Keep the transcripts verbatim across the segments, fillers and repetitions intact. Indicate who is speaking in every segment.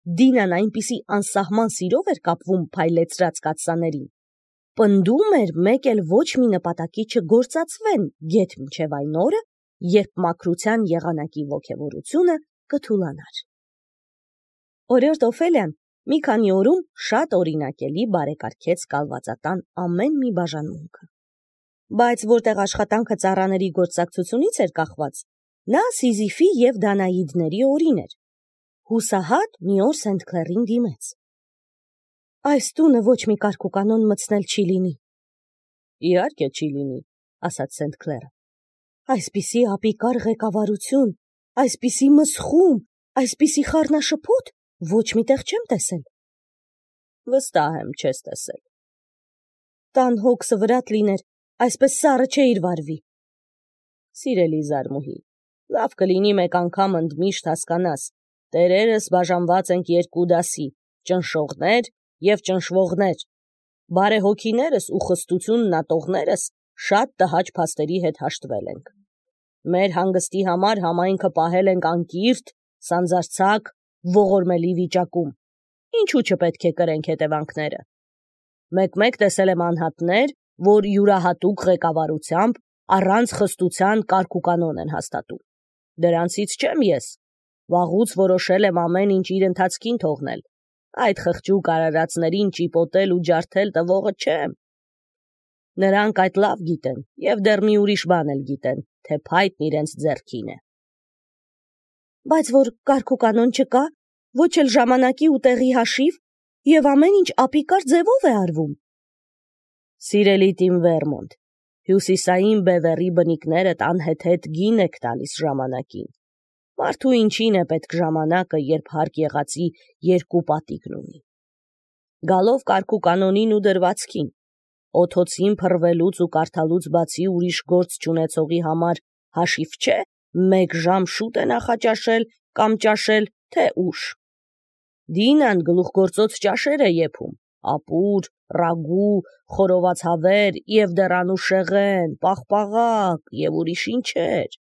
Speaker 1: Դինան այնպիսի անսահման սիրով էր կապվում փայլեցրած կաթսաներին, պնդում էր մեկ էլ ոչ մի նպատակի չգործածվեն գեթ մինչև այն օրը, երբ մաքրության եղանակի ոգևորությունը կթուլանար։ Օրիորդ Օֆելիան մի քանի օրում շատ օրինակելի բարեկարգեց կալվածատան ամեն մի բաժանմունքը։ Բայց որտեղ աշխատանքը ծառաների գործակցությունից էր կախված, նա Սիզիֆի և Դանաիդների օրին էր։ Հուսահատ մի օր Սենթ Քլերին դիմեց. «Այս տունը ոչ մի կարգուկանոն մտցնել չի լինի»։ «Իհարկե չի լինի», ասաց Սենթ Քլերը։ «Այսպիսի ապիկար ղեկավարություն, այսպիսի մսխում, այսպիսի խառնաշփոթ ոչ միտեղ չեմ տեսել»։ «Վստահ եմ, չես տեսել»։ «Տան հոգսը վրատ լիներ, այսպես սառը չէիր վարվի»։ «Սիրելի զարմուհի, լավ կլինի մեկ անգամ ընդմիշտ հասկանաս, տերերս բաժանված ենք երկու դասի՝ ճնշողներ և ճնշվողներ։ Բարեհոգիներս ու խստություն ատողներս շատ տհաճ փաստերի հետ հաշտվել ենք։ Մեր հանգստի համար համայնքը պահել ենք անկիրթ, սանձարձակ, ողորմելի վիճակում։ Ինչու չպետք է կրենք հետևանքները։ Մեկ-մեկ տեսել եմ անհատներ, որ յուրահատուկ ղեկավարությամբ առանց խստության կարգուկանոն են հաստատում։ Դրանցից չեմ ես։ Վաղուց որոշել եմ ամեն ինչ իր ընթացքին թողնել։ Այդ խղճուկ արարածներին ճիպոտել ու ջարդել տվողը չեմ։ Նրանք այդ լավ գիտեն և դեռ մի ուրիշ բան էլ գիտեն, թե փայտն իրենց ձեռքին է։ Բայց որ կարգուկանոն չկա, ոչ էլ ժամանակի ու տեղի հաշիվ, և ամեն ինչ ապիկար ձևով է արվում։ Սիրելի Տիմ Վերմոնտ, հյուսիսային բևեռի բնիկներդ անհեթեթ գին եք տալիս ժամանակին։ Մարդու ինչին է պետք ժամանակը, երբ հարկ եղածի երկու պատիկն ունի։ Գալով կարգուկանոնին ու դրվածքին, օդոցին փռվելուց ու կարդալուց բացի ուրիշ գործ չունեցողի համար հաշիվ չէ մեկ ժամ շուտ է նախաճաշել կամ ճաշել, թե ուշ։ Դինան գլուխգործոց ճաշեր է եփում, ապուր, ռագու, խորոված հավեր և դեռ անուշեղեն, պաղպաղակ և ուրիշ ինչեր։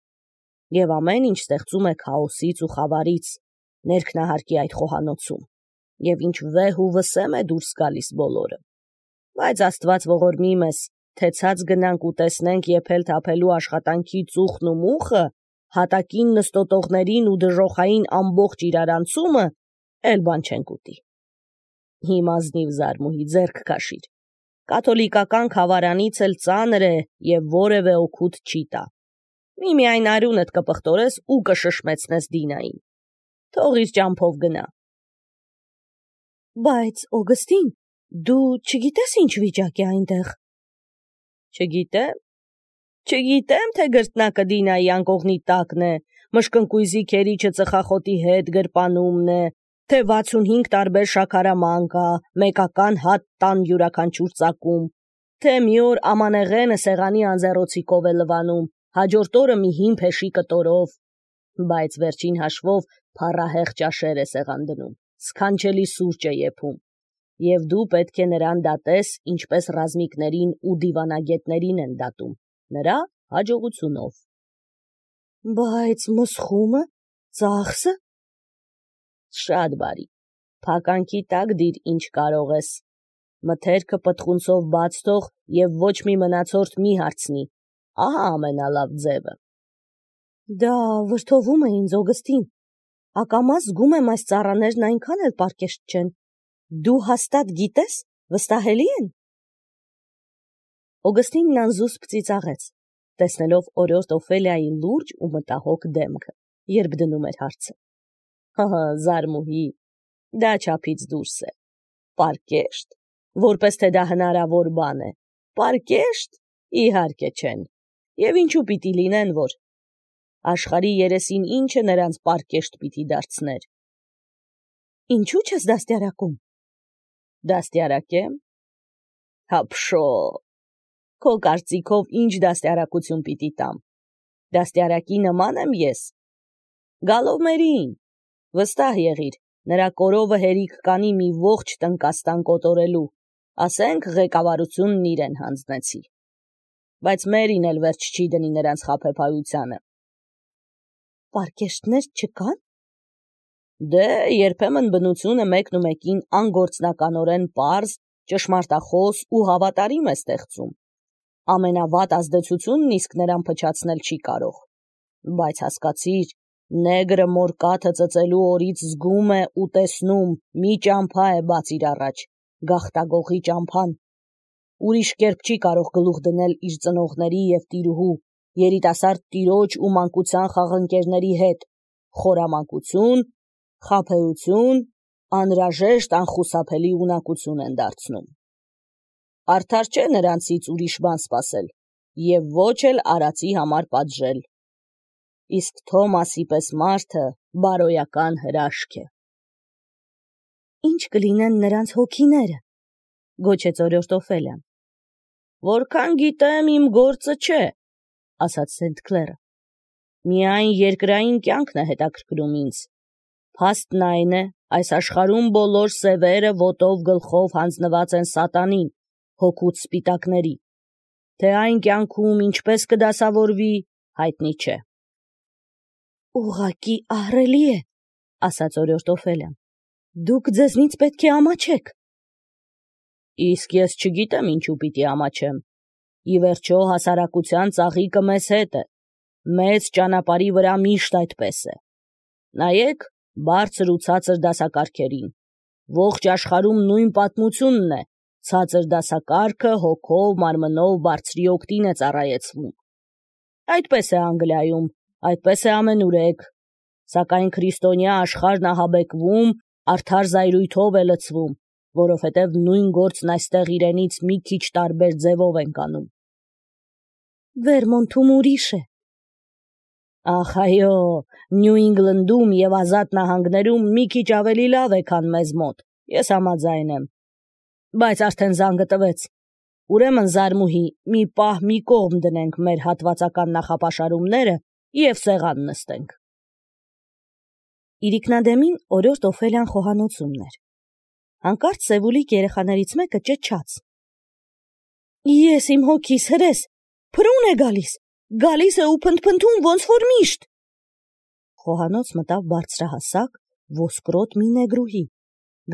Speaker 1: Եվ ամեն ինչ ստեղծում է քաոսից ու խավարից, ներքնահարկի այդ խոհանոցում, և ինչ վեհ ու վսեմ է դուրս գալիս բոլորը։ Բայց Աստված ողորմի մեզ, թե ցած գնանք ու տեսնենք եփել-թափելու աշխատանքի ծուխն ու մուխը, հատակին նստոտողներին ու դժոխային ամբողջ իրարանցումը, էլ բան չենք ուտի։ Իմ ազնիվ զարմուհի, ձեռք քաշիր։ Կաթոլիկական քավարանից էլ ծանր է և որևէ օգուտ չի տա։ Միմիայն արյունդ կպղտորես ու կշշմեցնես Դինային։ Թող իր ճամփով գնա։ Բայց, Օգստին, դու չգիտես ինչ վիճակ է այնտեղ։ Չգիտեմ։ Չգիտեմ, թե գրտնակը Դինայի անկողնի տակն է, մշկնկույզի քերիչը ծխախոտի հետ գրպանումն է, թե վաթսունհինգ տարբեր շաքարաման կա, մեկական հատ տան յուրաքանչյուր ծակում, թե մի օր ամանեղենը սեղանի անձեռոցիկով է լվանում, հաջորդ օրը մի հին փեշի կտորով, բայց վերջին հաշվով փառահեղ ճաշեր է սեղան դնում, սքանչելի սուրճ է եփում, և դու պետք է նրան դատես, ինչպես ռազմիկներին ու դիվանագետներին են դատում, նրա հաջողությունով։ Բայց մսխումը, ծախսը։ Շատ բարի, փականքի տակ դիր ինչ կարող ես։ Մթերքը պտղունցով բաց թող և ոչ մի մնացորդ մի հարցնի, ահա ամենալավ ձևը։ Դա վրդովում է ինձ, Օգստին, ակամա զգում եմ այս ծառաներն այնքան էլ պարկեշտ չեն, դու հաստատ գիտես, վստահելի են։ Օգստինն անզուսպ ծիծաղեց, տեսնելով օրիորդ Օֆելիայի լուրջ ու մտահոգ դեմքը, երբ դնում էր հարցը։ Հը, զարմուհի, դա չափից դուրս է։ Պարկեշտ, որպես թե դա հնարավոր բան է։ Պարկեշտ, իհարկե չեն։ Եվ ինչու պիտի լինեն, որ աշխարհի երեսին ինչը նրանց պարկեշտ պիտի դարձներ։ Ինչու չես դաստիարակում։ Դաստիարակեմ։ Հապշո։ Քո կարծիքով ինչ դաստիարակություն պիտի տամ։ Դաստիարակի նման եմ ես։ Գալովմերին, վստահ եղիր, նրա կորովը հերիք կանի մի ողջ տնկաստան կոտորելու, ասենք ղեկավարությունն իրեն հանձնեցի։ Բայց մերին էլ վերջ չի դնի նրանց խաբեբայությանը։ Պարկեշտներ չկան։ Դե երբեմն բնությունը մեկն ու մեկին անգործնականորեն պարզ, ճշմարտախոս ու հավատարիմ է ստեղծում։ Ամենավատ ազդեցությունն իսկ նրան փչացնել չի կարող։ Բայց հասկացիր, նեգրը մոր կաթը ծծելու օրից զգում է ու տեսնում, մի ճամփա է բաց իր առաջ, գաղտագողի ճամփան։ Ուրիշ կերպ չի կարող գլուխ դնել իր ծնողների և տիրուհու, երիտասարդ տիրոջ ու մանկության խաղընկերների հետ, խորամանկություն, խաբեություն, անհրաժեշտ անխուսափելի ունակություն են դարձնում։ Արդար չէ նրանցից ուրիշ բան սպասել և ոչ էլ արածի համար պատժել։ Իսկ Թոմասի պես մարդը բարոյական հրաշք է։ Ինչ կլինեն նրանց հոգիները, գոչեց օրորդ Օֆելիան։ Որքան գիտեմ, իմ գործը չէ, ասաց Սենթ Քլերը։ Միայն երկրային կյանքն է հետաքրքրում ինձ։ Փաստն այն է, այս աշխարհում բոլոր սևերը ոտով գլխով հանձնված են սատանին, հոգուց սպիտակների, թե այն կյանքում ինչպես կդասավորվի, հայտնի չէ։ Ուղղակի ահռելի է, ասաց օրորդ Օֆելիան։ Դուք ձեզնից պետք է ամաչեք։ Իսկ ես չգիտեմ ինչու պիտի ամաչեմ։ Ի վերջո հասարակության ծաղիկը մեզ հետ է, մեծ ճանապարհի վրա միշտ այդպես է։ Նայեք բարձր ու ցածր դասակարգերին։ Ողջ աշխարհում նույն պատմությունն է, ցածր դասակարգը հոգով, մարմնով բարձրի օգտին է ծառայեցվում։ Այդպես է Անգլիայում, այդպես է ամենուրեք, սակայն քրիստոնյա աշխարհն ահաբեկվում, արդար զայրույթով է լցվում, որովհետև նույն գործն այստեղ իրենից մի քիչ տարբեր ձևով ենք անում։ Վերմոնթում ուրիշ է։ Ախ այո, Նյու Ինգլնդում և Ազատ նահանգներում մի քիչ ավելի լավ է, քան մեզ մոտ, ես համաձայն եմ։ Բայց արդեն զանգը տվեց։ Ուրեմն զարմուհի, մի պահ մի կողմ դնենք մեր հատվածական նախապաշարումները և սեղան նստենք։ Իրիկնադեմին օրորդ Օֆելիան խոհանոցումն էր։ Հանկարծ Սևուլիկ երեխաներից մեկը ճչաց. Ես իմ հոգիս հրես, փրուն է գալիս, գալիս է ու փնթփնթում ոնց որ միշտ։ Խոհանոց մտավ բարձրահասակ, ոսկրոտ մի նեգրուհի,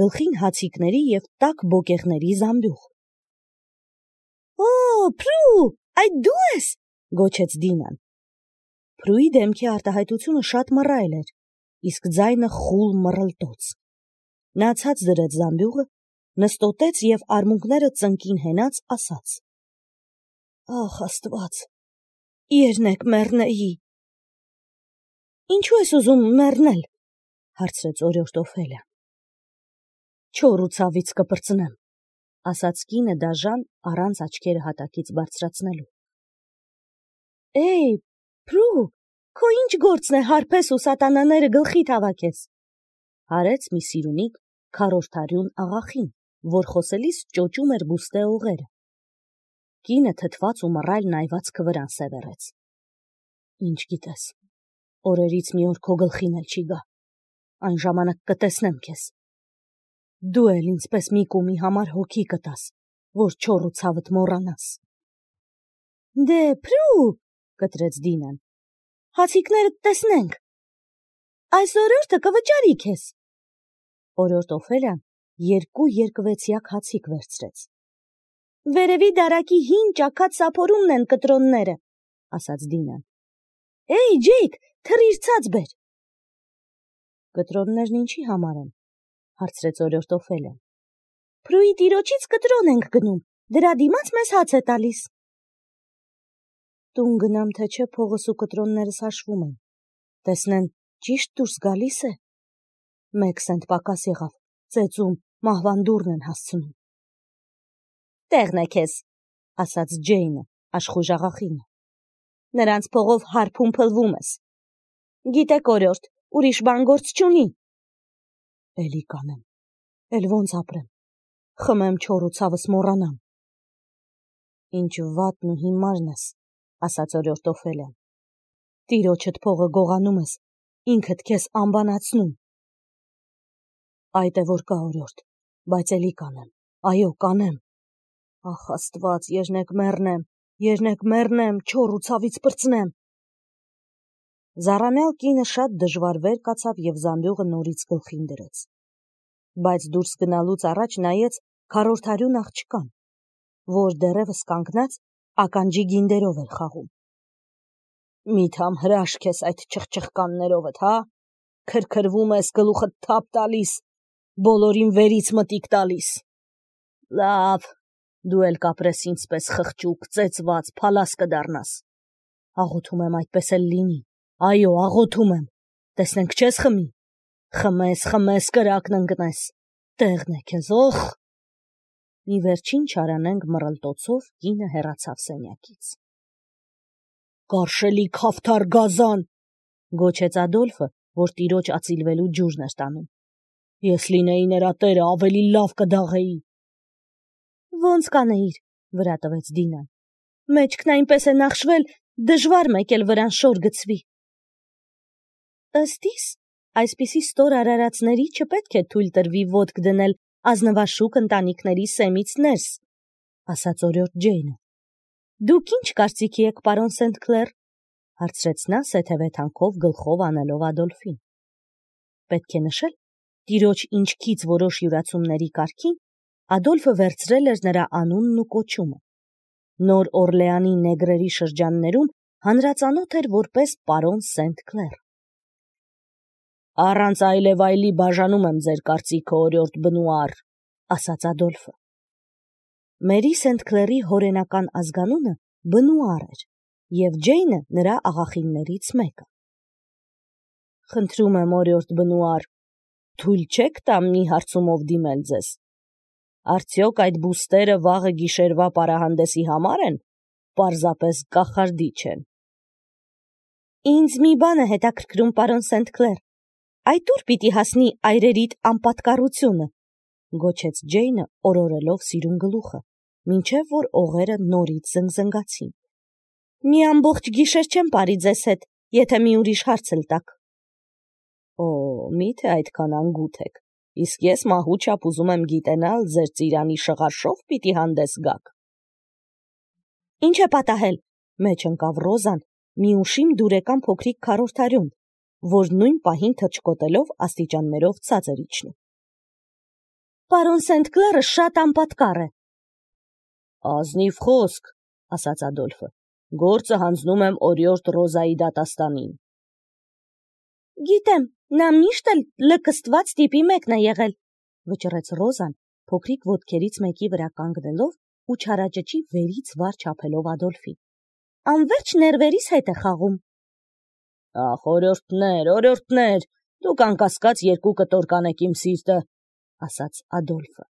Speaker 1: գլխին հացիկների և տաք բոկեղների զամբյուղ։ Օ, Փրու, այդ դու ես, գոչեց Դինան։ Փրուի դեմքի արտահայտությունը շատ մռայլ էր, իսկ ձայնը խուլ մռլտոց։ Նա ցած դրեց զամբյուղը, նստոտեց և արմունկները ծնկին հենած ասաց. Ախ Աստված, երնեք մեռնեի։ Ինչու ես ուզում մեռնել, հարցրեց օրորդ Օֆելիան։ Չոր ու ցավից կպրծնեմ, ասաց կինը դաժան առանց աչքերը հատակից բարձրացնելու։ Էй, Փրու, քո ինչ գործն է հարբես ու սատանաները գլխիդ հավաքես, հարեց մի սիրունիկ քառորդարյուն աղախին, որ խոսելիս ճոճում էր բուստե օղերը։ Կինը թթված ու մռայլ նայվածքը վրան սևեռեց։ Ինչ գիտես, օրերից մի օր քո գլխին էլ չի գա, այն ժամանակ կտեսնեմ քեզ։ Դու էլ ինձպես մի կումի համար հոգի կտաս, որ չոր ու ցավդ մոռանաս։ Դե, Փրու, կտրեց Դինան, հացիկներդ տեսնենք։ Այս օրորդը կվճարի քեզ։ Օրորդ Օֆելիան երկու երկվեցյակ հացիկ վերցրեց։ Վերևի դարակի հին ճաքած սափորումն են կտրոնները, ասաց Դինան։ Էй, Ջեյք, թռիր ցած բեր։ Կտրոններն ինչի համար են, հարցրեց օրորդ Օֆելիան։ Փրուի տիրոջից կտրոն ենք գնում, դրա դիմաց մեզ հաց է տալիս։ Տուն գնամ, թե չէ փողս ու կտրոններս հաշվում են, տեսնեն ճիշտ դուրս գալիս է։ Մեկ սենտ պակաս եղավ, ծեծում, մահվան դուռն են հասցնում։ Տեղն է քեզ, ասաց Ջեյնը, աշխույժ աղախինը։ Նրանց փողով հարբում փլվում ես։ Գիտեք օրորդ, ուրիշ բան գործ չունի։ Էլի կանեմ, էլ ոնց ապրեմ, խմեմ չոր ու ցավս մոռանամ։ Ինչ վատն ու հիմարն ես, ասաց օրորդ Օֆելիան։ Տիրոջդ փողը գողանում ես, ինքդ քեզ անբանացնում։ Այդ է որ կա օրորդ, բայց էլի կանեմ, այո, կանեմ։ Ախ Աստված, երնեք մեռնեմ, երնեք մեռնեմ, չոր ու ցավից պրծնեմ։ Զառամյալ կինը շատ դժվար վեր կացավ և զամբյուղը նորից գլխին դրեց, բայց դուրս գնալուց առաջ նայեց քառորդարյուն աղջկան, որ դեռևս կանգնած ականջի գինդերով էր խաղում։ Միթամ հրաշք ես այդ չխչխկաններովդ, հա, քրքրվում ես, գլուխդ թափ տալիս, բոլորին վերից մտիկ տալիս։ Լավ, դու էլ կապրես ինձպես խղճուկ, ծեծված, փալաս կդառնաս։ Աղոթում եմ այդպես էլ լինի, այո, աղոթում եմ, տեսնենք չես խմի, խմես, խմես, կրակն ընկնես, տեղն է քեզ, օխ։ Մի վերջին չարանենք մռլտոցով կինը հեռացավ սենյակից։ Կարշելի քավթար գազան, գոչեց Ադոլֆը, որ տիրոջ ածիլվելու ջուրն էր տանում։ Ես լինեի նրա տերը, ավելի լավ կդաղեի։ Ոնց կանեիր, վրա տվեց Դինան։ Մեջքն այնպես է նախշվել, դժվար մեկ էլ վրան շոր գցվի։ Ըստ իս, այսպիսի ստոր արարածների չպետք է թույլ տրվի ոտք դնել ազնվաշուք ընտանիքների սեմից ներս, ասաց օրիորդ Ջեյնը։ Դուք ինչ կարծիքի եք, պարոն Սենթ-Քլեր, հարցրեց նա սեթևեթանքով գլխով անելով Ադոլֆին։ Պետք է նշել, տիրոջ ինչքից որոշ յուրացումների կարգին Ադոլֆը վերցրել էր նրա անունն ու կոչումը։ Նոր Օրլեանի նեգրերի շրջաններում հանրածանոթ էր որպես պարոն Սենթ-Քլեր։ Առանց այլևայլի բաժանում եմ ձեր կարծիքը, օրիորդ Բնուար, ասաց Ադոլֆը։ Մերի Սենթ-Քլերի հորենական ազգանունը Բնուար էր, և Ջեյնը նրա աղախիններից մեկը։ Խնդրում եմ, օրիորդ Բնուար, թույլ չեք տա մի հարցումով դիմել ձեզ։ Արդյոք այդ բուստերը վաղը գիշերվա պարահանդեսի համար են, պարզապես կախարդիչ են։ Ինձ մի բան է հետաքրքրում, պարոն Սենթ-Քլեր, այդ ուր պիտի հասնի այրերիդ անպատկառությունը, գոչեց Ջեյնը օրորելով սիրուն գլուխը, մինչև որ օղերը նորից զնգզնգացին։ Մի ամբողջ գիշեր չեմ ապրի ձեզ հետ, եթե մի ուրիշ հարց էլ տաք։ Օ, միթե այդքան անգութ եք, իսկ ես մահու չափ ուզում եմ գիտենալ, ձեր ծիրանի շղարշով պիտի հանդես գաք։ Ինչ է պատահել, մեջ ընկավ Ռոզան, մի ուշիմ դուրեկան փոքրիկ քառորդարյուն, որ նույն պահին թռչկոտելով աստիճաններով ցածր իջնում։ Պարոն Սենթ-Քլերը շատ անպատկառ է։ Ազնիվ խոսք, ասաց Ադոլֆը, գործը հանձնում եմ օրիորդ Ռոզայի դատաստանին։ Գիտեմ, նա միշտ էլ լկստված տիպի մեկն է եղել, վճռեց Ռոզան, փոքրիկ ոտքերից մեկի վրա կանգնելով ու չարաճճի վերից վար չափելով Ադոլֆին։ Անվերջ ներվերիս հետ է խաղում։ Ախ, օրիորդներ, օրիորդներ, դուք անկասկած երկու կտոր կանեք իմ սիրտը, ասաց Ադոլֆը։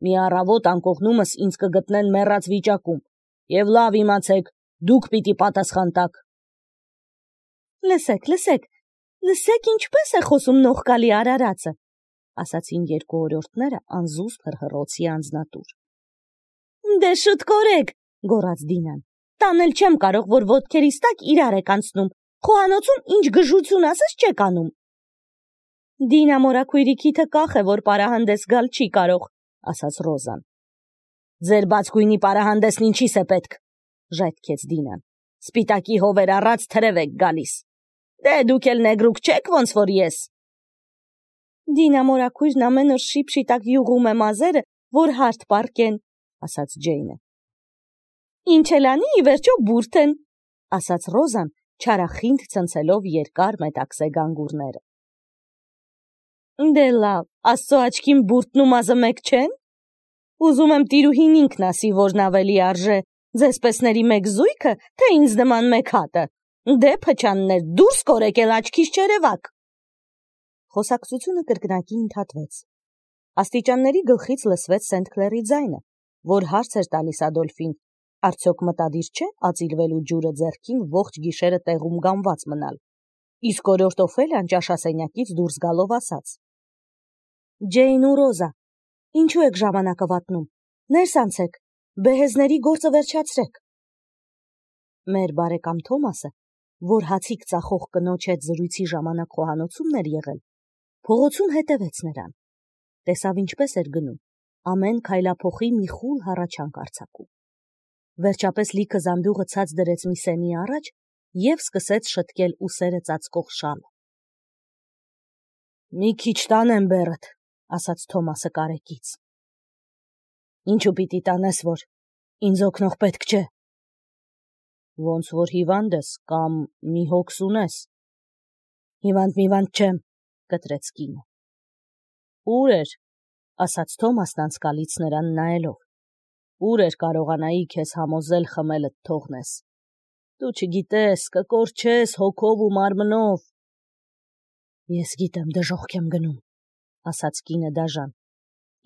Speaker 1: Մի առավոտ անկողնումս ինձ կգտնեն մեռած վիճակում, և լավ իմացեք, դուք պիտի պատասխան տաք։ Լսեք, լսեք, լսեք ինչպես է խոսում նողկալի արարածը, ասացին երկու օրիորդները անզուսպ հռհռոցի անձնատուր։ Դե շուտ կորեք, գոռաց Դինան, տանել չեմ կարող, որ ոտքերիս տակ իրար եք անցնում, խոհանոցում ինչ գժություն ասես չեք անում։ Դինա մորաքույրիքիթը կախ է, որ պարահանդես գալ չի կարող, ասաց Ռոզան։ Ձեր բացկույնի պարահանդեսն ինչիս է պետք, ժայթքեց Դինան։ Սպիտակի հովեր առած թրև եք գալիս։ Դե դուք էլ նեգրուկ չեք, ոնց որ ես։ Դինա մորաքույրն ամեն օր շիպ-շիտակ յուղում է մազերը, որ հարթ պառկեն, ասաց Ջեյնը։ Ինչ էլ անի, ի վերջո բուրդ են, ասաց Ռոզան, չարախինդ ցնցելով երկար մետաքսե գանգուրները։ Դե լավ, Աստծո աչքին բուրդն ու մազը մեկ չեն։ Ուզում եմ տիրուհին ինքն ասի, որն ավելի արժե, ձեզ պեսների մեկ զույգը, թե ինձ նման մեկ հատը։ Դե փչաններ, դուրս կորեք էլ աչքիս չերևաք։ Խոսակցությունը կրկնակի ընդհատվեց։ Աստիճանների գլխից լսվեց Սենթ-Քլերի ձայնը, որ հարց էր տալիս Ադոլֆին, արդյոք մտադիր չէ ածիլվելու ջուրը ձեռքին ողջ գիշերը տեղում գանված մնալ։ Իսկ օրիորդ Օֆելիան ճաշասենյակից դուրս գալով ասաց. Ջեյն ու Ռոզա, ինչու եք ժամանակը վատնում։ Ներս անցեք, բեհեզների գործը վերջացրեք։ Մեր բարեկամ Թոմասը, որ հացիկ ծախող կնոջ հետ զրույցի ժամանակ խոհանոցումն էր եղել, փողոցում հետևեց նրան։ Տեսավ ինչպես էր գնում, ամեն քայլափոխի մի խուլ հառաչանք արձակում։ Վերջապես լիքը զամբյուղը ցած դրեց մի սեմի առաջ և սկսեց շտկել ուսերը ծածկող շալը։ «Մի քիչ տանեմ բեռդ», ասաց Թոմասը կարեկից։ «Ինչու պիտի տանես, որ ինձ օգնող պետք չէ»։ «Ոնց որ հիվանդ ես կամ մի հոգս ունես»։ «Հիվանդ միվանդ չեմ», կտրեց կինը։ «Ուր էր», ասաց Թոմասն անցկալից նրան նայելով, «ուր էր կարողանայի քեզ համոզել խմելդ թողնես։ Դու չգիտես, կկորչես հոգով ու մարմնով»։ «Ես գիտեմ դժոխք եմ գնում», ասաց կինը դաժան։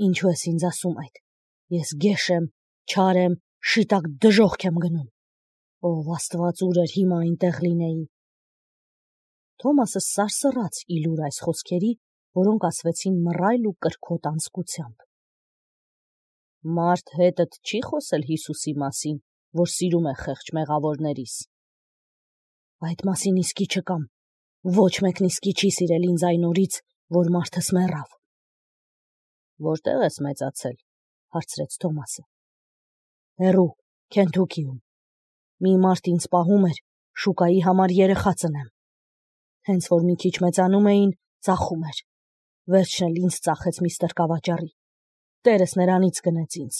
Speaker 1: «Ինչու ես ինձ ասում այդ։ Ես գեշ եմ, չար եմ, շիտակ դժոխք եմ գնում։ Ով Աստված, ուր էր հիմա այնտեղ լինեի»։ Թոմասը սարսռաց իլուր այս խոսքերի, որոնք ասվեցին մռայլ ու կրքոտ անձկությամբ։ «Մարդ հետդ չի խոսել Հիսուսի մասին, որ սիրում է խեղճ մեղավորներիս»։ «Այդ մասին իսկի չկամ, ոչ մեկն իսկի չի սիրել ինձ այն օրից, որ մարդս մեռավ»։ «Որտեղ ես մեծացել», հարցրեց Թոմասը։ «Հեռու, Քենթուքիում։ Մի մարդ ինձ պահում էր, շուկայի համար երեխա ծնեմ։ Հենց որ մի քիչ մեծանում էին, ծախում էր։ Վերջն էլ ինձ ծախեց մի ստրկավաճառի։ Տերս նրանից գնեց ինձ»։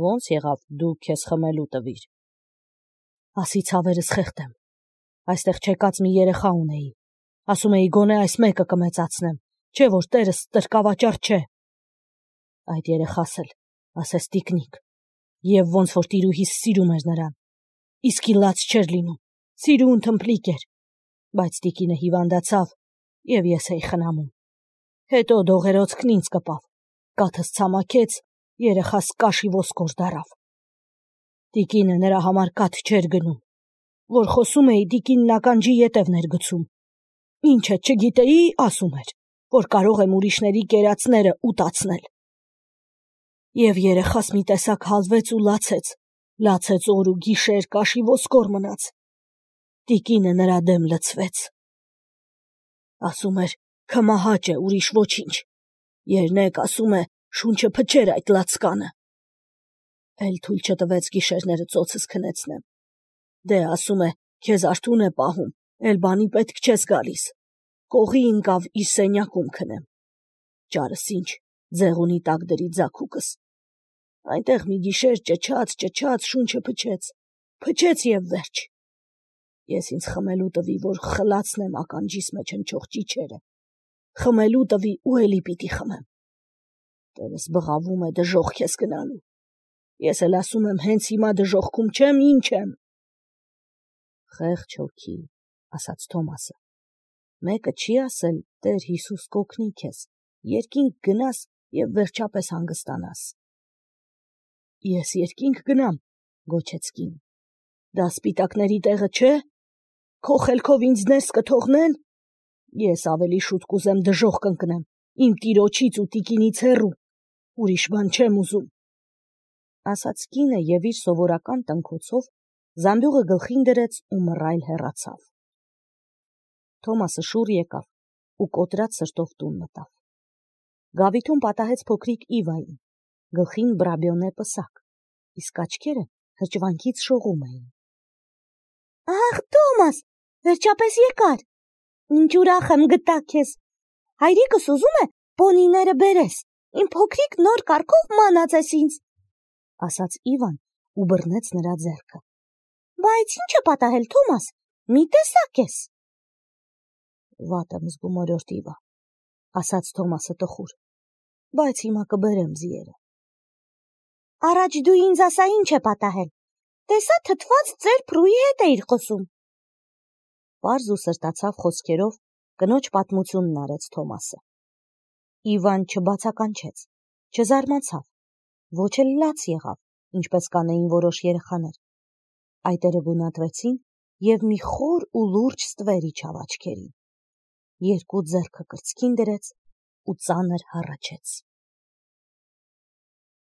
Speaker 1: «Ոնց եղավ դու քեզ խմելու տվիր»։ «Ասի ցավերս խեղդեմ։ Այստեղ չեկած մի երեխա ունեի։ Ասում էի գոնե այս մեկը կմեծացնեմ, չէ որ տերս ստրկավաճառ չէ։ Այդ երեխաս էլ, ասես տիկնիկ, և ոնց որ տիրուհիս սիրում էր նրան, իսկի լաց չէր լինում, սիրուն թմփլիկ էր, բայց տիկինը հիվանդացավ, և ես էի խնամում։ Հետո դողերոցքն ինձ կպավ, կաթս ցամաքեց, երեխաս կաշի ոսկոր դառավ։ Տիկինը նրա համար կաթ չէր գնում, որ խոսում էի, տիկինն ականջի ետևն էր գցում։ Ինչը չգիտեի, ասում էր, որ կարող եմ ուրիշների կերածները ուտացնել։ Եվ երեխաս մի տեսակ հալվեց ու լացեց, լացեց օր ու գիշեր, կաշի ոսկոր մնաց։ Տիկինը նրա դեմ լցվեց։ Ասում էր, քմահաճ է, ուրիշ ոչինչ։ Երնեք, ասում է, շունչը փչեր այդ լացկանը։ Էլ թույլ չտվեց գիշերները ծոցս քնեցնեմ։ Դե, ասում է, քեզ արթուն է պահում, էլ բանի պետք չես գալիս։ Կողի ընկավ իր սենյակում քնեմ։ Ճարս ինչ, ձեղունի տակ դրի ձագուկս։ Այնտեղ մի գիշեր ճչաց, ճչաց, շունչը փչեց, փչեց և վերջ։ Ես ինձ խմելու տվի, որ խլացնեմ ականջիս մեջ հնչող ճիչերը, խմելու տվի ու էլի պիտի խմեմ։ Տերս բղավում է դժոխք ես գնալու։ Ես էլ ասում եմ, հենց հիմա դժոխքում չեմ, ինչ եմ։ Խեղճ հոգի, ասաց Թոմասը, մեկը չի ասել, Տեր Հիսուս կօգնի քեզ, երկինք գնաս և վերջապես հանգստանաս։ Ես երկինք գնամ, գոչեց կինը։ Դա սպիտակների տեղը չէ։ Քո խելքով ինձ ներս կթողնեն։ Ես ավելի շուտ կուզեմ դժոխք ընկնեմ, իմ տիրոջից ու տիկինից հեռու, ուրիշ բան չեմ ուզում։ Ասաց կինը և իր սովորական տնքոցով զամբյուղը գլխին դրեց ու մռայլ հեռացավ։ Թոմասը շուռ եկավ ու կոտրած սրտով տուն մտավ։ Գավիթում պատահեց փոքրիկ Իվային, գլխին բրաբիոնե պսակ, իսկ աչքերը հրճվանքից շողում էին։ Ախ, Թոմաս, վերջապես եկար։ Ինչ ուրախ եմ գտա քեզ։ Հայրիկս ուզում է պոնիները բերես, իմ փոքրիկ նոր կառքով մանած ես ինձ, ասաց Իվան ու բռնեց նրա ձեռքը։ Բայց ինչ է պատահել, Թոմաս, մի տեսակ ես։ Վատ եմ զգում, օրորդ Իվա, ասաց Թոմասը տխուր, բայց հիմա կբերեմ ձիերը։ Առաջ դու ինձ ասա ինչ է պատահել։ Տեսա թթված ծեր փրուի հետ էիր խոսում։ Պարզ ու սրտացավ խոսքերով կնոջ պատմությունն արեց Թոմասը։ Իվան չբացականչեց, չզարմացավ, ոչ էլ լաց եղավ, ինչպես կանեին որոշ երեխաներ։ Այտերը գունատվեցին և մի խոր ու լուրջ ստվեր իջավ աչքերին։ Երկու ձեռքը կրծքին դրեց ու ծանր հառաչեց։